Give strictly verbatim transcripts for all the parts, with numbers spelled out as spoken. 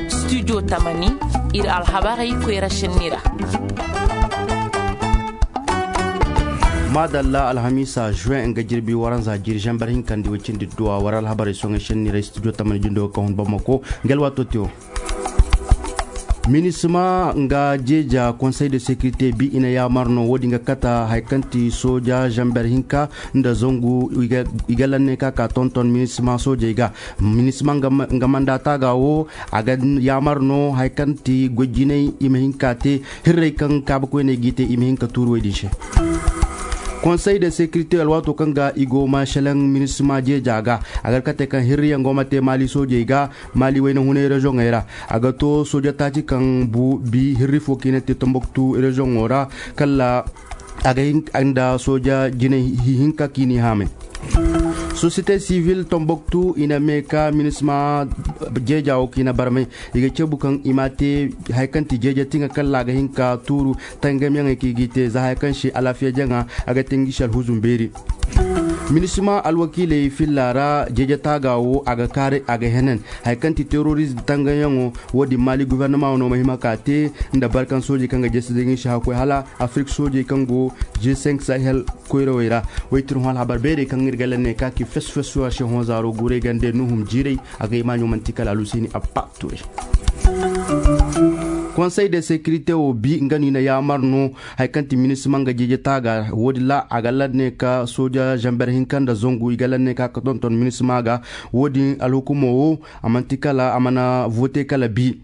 Studio tamani, ir alhabarey koyra šenni ra. Maadalla, alhamiisa juwen nga jirbi waranza jiri zamber hinkandi woy cindi duwa war alhabarey soŋey šenni ra studio tamani jindo ka hun bamako. Ngel waato te wo. Minisma nga jeeja konsey de sekirite bi i na yaamar no woodin ga kata haya kaŋ ti sooja zamber hinka nda zangu. I ga lanne ka ka tonton minisma soojey ga. Minisma nga manda taaga wo a ga yaamar no haya kaŋ ti goy jinay i ma hin ka te hirrey kaŋ kaabakoyney g'i te i ma hin ka tuuru wey din se. Konsey de sekirite alwaato kaŋ ga i go ma selaŋ minisma jeeja ga a ga kate kaŋ hirriyaŋ go ma te maali soojey ga. Maali wayna hunay rezoŋey ra a ga to sooja taaci kaŋ bu bi hirri fo kaŋ i na te tomboktu rezoŋo ra kala a ga hin nda sooja jinay hinka kaŋ i n'i haamay. Sosiyete sivil tomboktu i na mee ka minisma jeeja wo kaŋ i na barmay i ga ceebu kaŋ i ma te haya kaŋ ti jeeja tiŋa kala a ga hin ka tuuru tangamyaŋey kaŋ i g'i te za haya kaŋ se alaafiya jaŋa a ga te ngi se alhuzum beeri. Minisma alwakiiley filla ra jeeja taaga wo a ga kaaray a ga henen haya kaŋ ti teroriz tangayaŋo. Wo-din maali gofornama wo no ma hima ka te nda barkan soojey kaŋ ga jesi da ngi se hakkoy hala afirik soojey kaŋ go g cinq sahel koyrawey ra. Waytir hõ alhabar beerey kaŋ ir ga lanne ka ki fes fes war se hõ zaaro guuray gande nuhum jiiray a ga i maaɲo manti kala alhuseeni abba turay. Konsey de sekirite wo bi nga no i na yaamar no haya kaŋ ti minisma nga jeeje taaga wo-din ra a ga lanne ka sooja zamber hinka nda zangu i ga lanne ka ka tonton minisma ga. Wo-din alhukumo wo a manti kala a mana vote kala bi.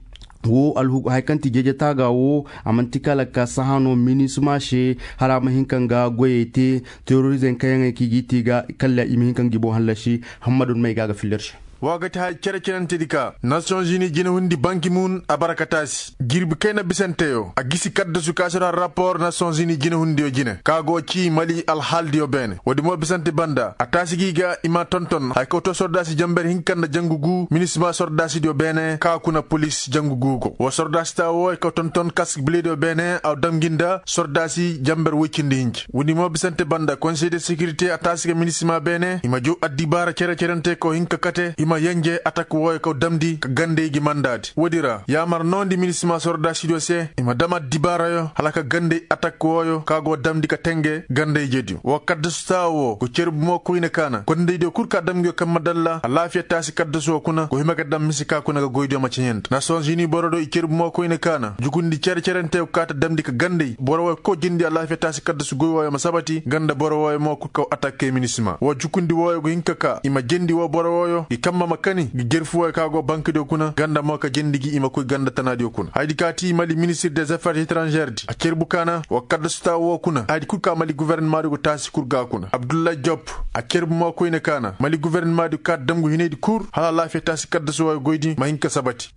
Wo haya kaŋ ti jeeje taaga wo a manti kala ka sahã no minisma se hala a ma hin ka nga goyey te. Terorizeŋ kayaŋey kaŋ i g'i te i ga kala i ma hin ka ngi boŋ hallasi. Hammadu may ga a ga filla ir se. Wa ga ti haya cere-cerentedi ka nasiyonzini jinehundi banki mun a bara ka taasi jirbi kayna bisanteyo a gisi kaddasu ka si ra rapor nasiyonzini jinehundiyo jine ka go ci mali alhaaldiyo beene woodi mo bisante banda a taasi gi ga i ma tonton haya kaw to sordaasi jamber hinka nda jangu gu minisma sordaasidiyo beene ka kuna polis jangu gu go wa sordaasita wo haya kaw tonton kask bilediyo beene a dam gi nda sordaasi jamber woy cindi hinja woodi mo bisante banda konsey de sekirite a taasi ga minisma beene i ma jow addibaara cere-cerente kaw hinka kate i ma yenje atak wooyo kaw damndi ka gandey gi mandaadi woodi ra yaamar noondi minisma sordaasidiyo se i ma dam addibaarayo hala ka gandey atak wooyo ka go damndi ka tenge gandey jediyo woo kaddasu taawo woo go cerbu mo koyne kaana kondeydiyo kul ka dam ngiyo kamma dalla alaafiya taasi kaddasu woo kuna go hima ga dam mise ka kuna ga goydiyo ma ceɲe nda nasiyonzini borodiyo i cerbu mo koyne kaana jukundi cere-cerente kaata damndi ka gandey boro wooyo kul ka jendi alaafiya taasi kaddasu goy wooyo ma sabati nga nda boro wooyo mo kul kaw atakke minisma woo jukundi wooyo go hin ka kaa i ma jendi woo boro wooyo ngi kamma ma kani ngi jerfu wooyo ka go bankadiyo kuna nga nda mo ka jendi gi i ma koy ganda tanaadiyo kuna hayadi ka ti mali ministir des affaires etranžeer di a cerbu kaana wa kadda suta woo kuna hayadi kul ka mali guvernemadiyo go taasi kul ga kuna abdullahi job a cerbu mo koyne kaana mali guvernema di kaati damgu hinay di kul hala alaafiya taasi kaddasu wooyo goy di ma hin ka sabati.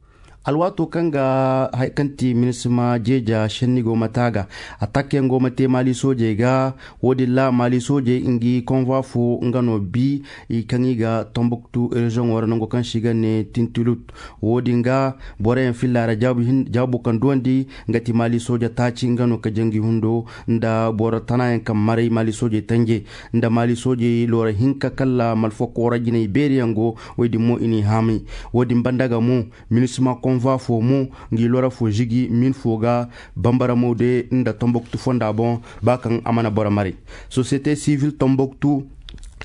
Alwaato kaŋ ga haya kaŋ ti minisima jeeja šenni go ma te a ga atak yaŋ go ma te maali soojey ga. Woo din ra maali soojey ngi konva fo nga no bi i kaŋ i ga tombuktu reziyoŋo ra nango kaŋ se i ga ne tintilut. Woo din ga boro yaŋ filla ra jaabu kaŋ duwandi nga ti maali sooja taaci nga no ka jangi hundo nda boro tana yaŋ kaŋ maray maali soojey tanje nda maali soojey loora hinka kala malfakoo ra jinay beeri yaŋ go. Woy din mo i n'i haamay. Woo din banda ga mo minisima konva fo mo ngi loora fo žigi min fo ga bambara mo de nda tombuktu fonda boŋ. Ba kaŋ a mana boro maray sosiyete sivil tombuktu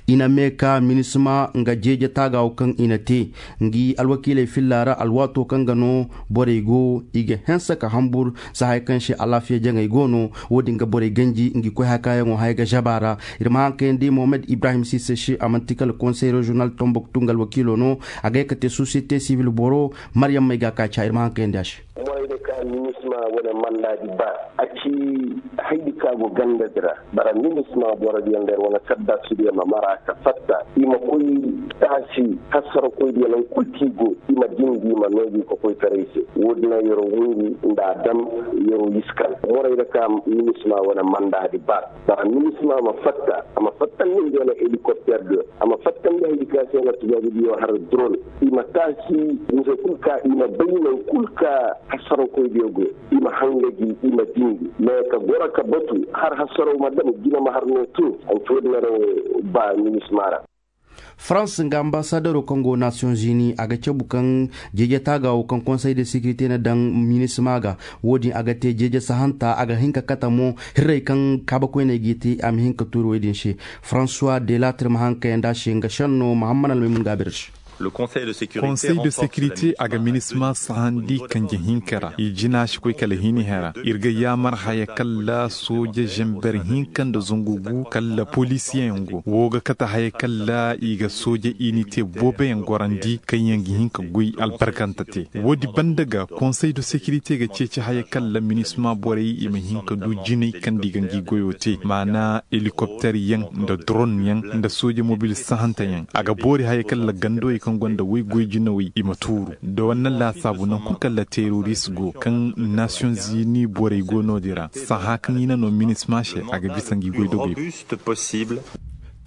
i na mee ka minisima nga jeeje taaga wo kaŋ i na te ngi alwakiiley filla ra alwaato kaŋ ga no borey go i ga hanse ka hambur. Za haya kaŋ se alaafiya jaŋey go no woo din ga borey ganji ngi koy haya kaayaŋo haya ga žaba ra. Ir ma hankayandi mohamed ibrahim sise se a man'ti kala konsey reziyonal tombuktu nga alwakiilo no. A gay ka te sosiyete sivil boro maryammey ga a ka ca ir ma hankayandi a se. Moy de ka minisma wane mandaadi ba a ci haydi ka go gandadi ra. Bara minisma borodiyo nda ir wane kaddaasudiyo ma mara ka fatta i ma koy taasi hasarakoydiyo naŋ kul kaŋ i go i ma jindi i ma noogi ka koy taray se. Woo din a yeroo hungu nda a dam yeroo iskan moray da ka minisma wane mandaadi ba. Bara minisma ma fatta a ma fattandi nda wane helikopter diyo a ma fattandi haydi ka se nga tubaabudiyo har dron. I ma taasi muso kul ka i ma bay naŋ kul ka hasarakoydiyo go i ma hanga gi i ma jindi mais ka goro ka batu har hasaraw ma dam jina ma har no tun. Ay to din a ra wo ba minisma ra. Farans nga ambassadero kaŋ go nasiyoŋ zini a ga cabu kaŋ jeje taaga wo kaŋ konsey de sekirite na daŋ minisma ga. Wo- din a ga te jeje sahanta a ga hin ka kate mo hirrey kaŋ kaabakoyney g'i te a ma hin ka tuuri wey din se. Faransuwa de latir ma haŋ kayandi a se nga senno mahamman almaymun ga a bir se. Konsey de sekirite a ga minisma sahandi kanje hinka ra i jina si koy kala hini hera ir ga yaamar haya kalla sooje zamber hinka nda zangu gu kalla polisiyeŋ go wo ga kate haya kalla i ga sooje inite booboyaŋ gorandi kaŋyaŋ ga hin ka goy albarkante te. Wo- din banda ga konsey de sekirite ga ceeci haya kalla minisma borey i ma hin ka du jinay kaŋ da i ga ngi goyo te maana helikopter yaŋ nda dron yaŋ nda sooje mobil sahanta yaŋ a ga boori haya kalla gandowey kaŋ gonda woy goy jinawey i ma tuuru. Da wanna laasaabu naŋ kul kalla teroris go kaŋ nasiyoŋ zini borey go no- din ra sahã kaŋ i na no minisma se a ga bisa ngi goy dogey.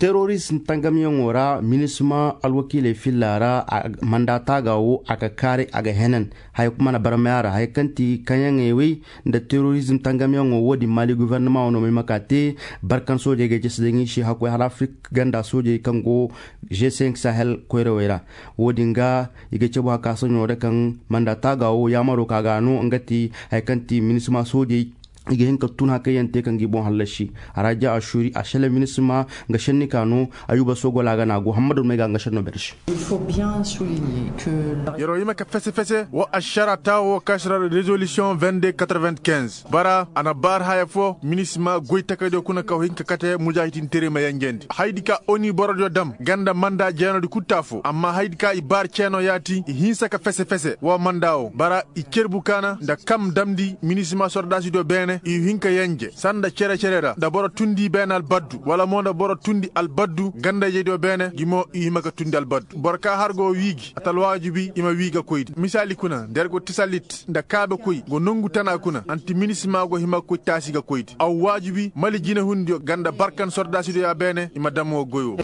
Teroris tangamyaŋo ra minisma alwakiiley filla ra manda taaga wo a ga kaaray a ga henan haya kuma na barmaya ra haya kaŋ ti kaŋyaŋey wey nda terorizm tangamyaŋo wo- din maali gufernama wo no may ma ka te barkan soojey ga jesi daŋ i se hakkoy hala afrik ganda soojey kaŋ go g cinq sahel koyrawey ra. Wo- din ga i ga cabu haka saɲo da kaŋ manda taaga wo yaamaro ka ga no nga ti haya kaŋ ti minisma soojey i ga hin ka tun hakayyaŋ te kaŋ ga i boŋ hallasi. A ra ja a suuri a sele minisma nga senni ka no ayuba sogola ga na go hammadu may ga nga senno berse. Yeroo hima ka fese fese wo ašara taawo wo kaŋ si ra rezolisiyoŋ vingt deux quatre vingt quinze bara a na baar haya fo minisma goy takaydiyo kuna kaw hin ka kate mujaahitinteray ma yenjendi haydi ka oni borodiyo dam ganda manda jeenodi kul te afo amma haydi ka i baar ceenoo yaati i hinsa ka fese fese wo manda wo bara i cerbu kaana nda kam damndi minisma sordaasidiyo beene i hin ka yenje sanda cere cere ra nda boro tundi beene albaddu wala mo nda boro tundi albaddu ganda-ijediyo beene gi mo i hima ka tundi albaddu boro ka har go wiigi a ta alwaajibi i ma wii ga koydi misaali kuna nda yer go tisalit nda kaabekoy go nongu tana kuna anti minisma go hima ga koy taasi ga koydi aw waajibi mali jinehundiyo ganda barkan sordaasidiyo ya beene i ma dam wo goy wo.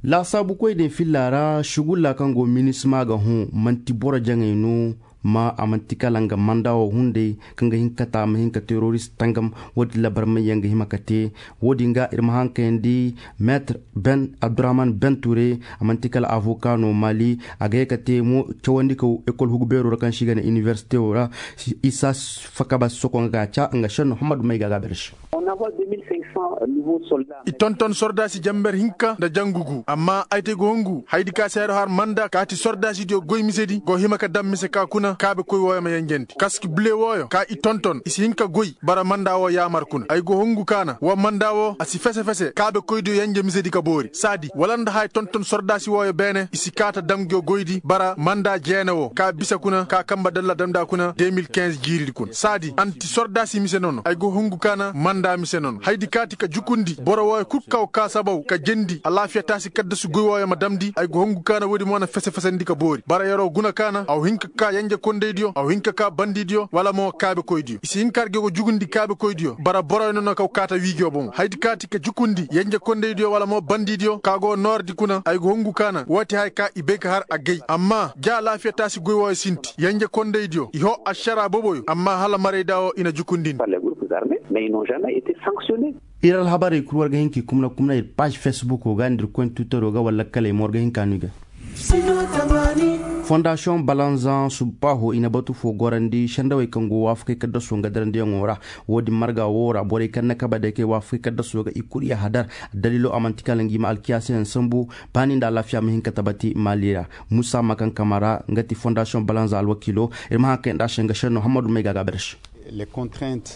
Laasaabukoy din filla ra sugulla kaŋ go minisma ga hõ man'ti boro jaŋay no. Ma a man'ti kala nga manda wo hunday kaŋ ga hin ka kate a ma hin ka terorist tangam wo- din labar mayyaŋ ga hima ka te. Wo- din ga ir ma haŋ kayandi metre ben abdurahman ben ture a man'ti kala avoka no mali a ga ye ka te mo cawandi kaw ekol hugu beero ra kaŋ si ga ne inibersite wo ra. Isa fakaba soko nga ga a ca nga shen muhammadu may ga ga berse. I tonton sordaasi jamber hinka nda jangu gu amma ay te go hungu haydi ka seero har manda kaati sordaasidiyo goy misedi go hima ka dam mise ka kuna kaabekoy wooyo ma yenjendi kaski bile wooyo ka i tonton i si hin ka goy bara manda woo yaamar kuna ay go hungu kaana woo manda woo a si fese-fese kaabekoydiyo yenje misedi ka boori saadi wala nda haya tonton sordaasi wooyo beene i si kaa ta dam nguyo goydi bara manda jeene woo ka bisa kuna ka kamba dalla damndi a kuna deux mille quinze jiiridi kuna saadi anti sordaasi mise nono ay go hungu kaana manda mise nono haydi kaati ka jukundi boro wooyo kul kaw ka sabaw ka jendi alaafiya taasi kaddasu goy wooyo ma damndi ay go hungu kaana woodi mo na fese-fesandi ka boori bara yeroo guna kaana aw hin ka kaa yenjekondaydiyo aw hin ka kaa bandidiyo wala mo kaabekoydiyo i si hin ka har ge go jugundi kaabekoydiyo bara boroyo nono kaw kaa ta wiigiyo bomo haydi kaati ka jukundi yenjekondaydiyo wala mo bandidiyo ka go noordi kuna ay go hungu kaana woo ti haya ka i bay ka har agay amma ja alaafiya taasi goy wooyo sinti yenjekondaydiyo i hoo ašaraa boboyo amma hala marayda woo i na jukundindi. Ir alhabarey kul war ga hin k'i kumna kumna ir paaž fesbuko ga nda ir koyne twitero ga wala lakkaley mo war ga hin ka no i ga. Fondasiyoŋ balanzaŋ subbaaho i na batu foo gorandi sendawey kaŋ go waafakey kaddaso nga darandiyaŋo ra. Woo din marga woo ra borey kaŋ na kaba day kay waafakey kaddaso ga i kul yahadar. Daliilo a man'ti kala ngi ma alkiyaasiyaŋ sambu baani nda alaafiya ma hin ka tabati maali ra. Musa makankamara nga ti fondasiyoŋ balanzaŋ alwakiilo. Ir ma haŋ kay nda a se nga senno hammadu may ga a ga a berse.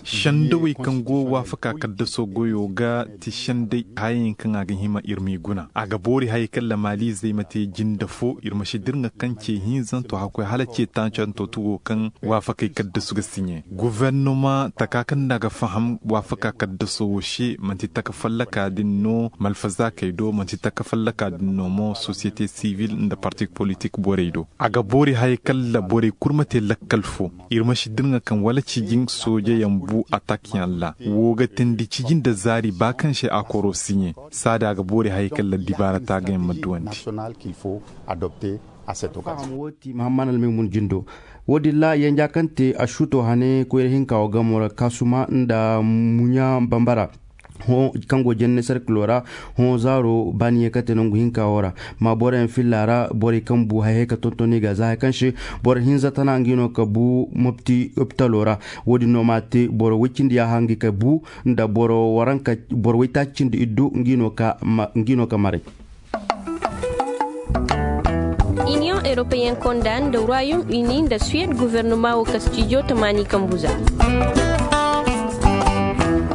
Sendawey kaŋ go waafaka kaddaso goyo ga ti senday hayayaŋ kaŋ a ga hima ir m'i guna a ga boori hayey kaŋ lamaaliizey ma te jinde foo ir ma si dirŋa kaŋ ce hinzanto hakkoy hala ce taacanto tugo kaŋ waafakey kaddasu ga siɲe. Gufernoma taka kaŋ nda a ga faham waafaka kaddaso wo se man'ti taka fallaka din no malfazaakey do man'ti taka fallaka din no mo sosiyete sivil nda parti politik borey do. A ga boori hayey kaŋ la borey kul ma te lakkal foo. Ir ma si dirŋa kaŋ wala cijin soojeyaŋ bu atakyaŋ ra woo ga teendi cijin nda zaari ba kaŋ se a koroo siɲe. Saadi a ga boori hayey kaŋ la dibaara taagayaŋ ma duwandi. Faham woo ti mahamman almaymun jindo. Woo din ra yenja kaŋ te a suuto hane koyra hinka woo gamo ra kaasuma nda muɲa bambara. Kaŋ go jenne serkilo ra, hõ zaaro baani ye kate nangu hinka wo ra. Ma boroyaŋ filla ra borey kaŋ bu haya ka tonton i ga za haya kaŋ se boro hinza tana ngi no ka bu mopti opitalo ra. Wo-din no ma te boro woy cindi yaaha ngi ka bu nda boro waranka boro woytaaci cindi iddu ngi no ka maray. Iniyoŋ europeyen konda nda royaume uni nda suwed gofornoma wo ka stijo tamaani kambu za.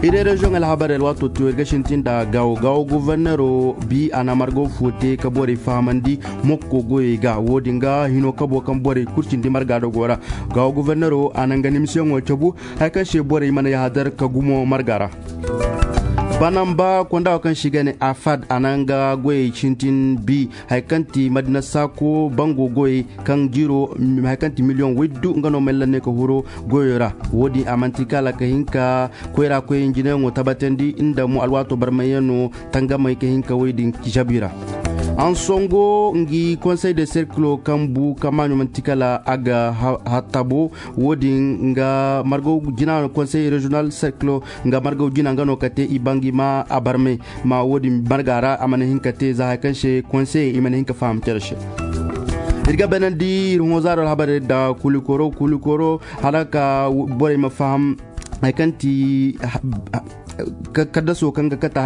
Iri reziyoŋ alhabarey alwaato tiyo ir ga sintin nda gaawo gaawo gofornero bi a na margo fo te ka borey fahamandi mokko goyey ga wo-din ga hino kabo kaŋ borey kul cindi marga dogo ra. Gaawo gofornero a na nga nimisiyaŋo cabu haya kaŋ se borey mana yahadar ka gumo marga ra. Banamba konda wo kaŋ se i ga ne afad a na nga goyey sintin bi haya kaŋ ti madina saako bango goyey kaŋ jiiro haya kaŋ ti miliyoŋ woy du nga no mallanney ka huro goyo ra. Wo-din a man'ti kala ka hin ka koyra koyey njinayaŋo tabatandi nda mo alwaato barmayyaŋo tangamey ka hin ka woy din jabi ra. Ansongo ngi konsey de serkilo kaŋ bu kaŋ maaɲo man'ti kala a ga hattabo. Wo-din nga margaw jina no konsey reziyonal serkilo nga margaw jina nga no ka te i ba ngi ma a barmay ma wo-din marga ra a mana hin ka te za haya kaŋ se konseye i mana hin ka faham cere se. Ir ga baynandi ir hõ zaaro alhabarey nda kulikoro kulikoro hala ka borey ma faham haya kaŋ ti kaddaso kaŋ ga kate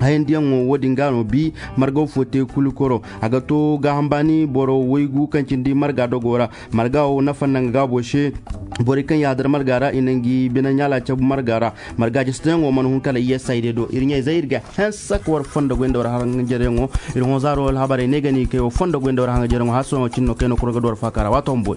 hayandiyaŋo wo-din ga no bi margaw fo te kulikoro a ga to gaaham baani boro waygu kaŋ cindi marga dogo ra. Marga wo nafa nda nga gaabo se borey kaŋ yaadar marga ra i na ngi bine ɲaala cabu marga ra. Marga jastayaŋo mana hun kala iyesay day do ir ɲayzey ir ga hanse ka war fondo goy nda war hangajaryaŋo. Ir hõ zaaro alhabarey ne ga ni kay war fondo goy nda war hangajaryaŋo hala sohõ cin no kay no kura ga du war faaka ra waato humboy.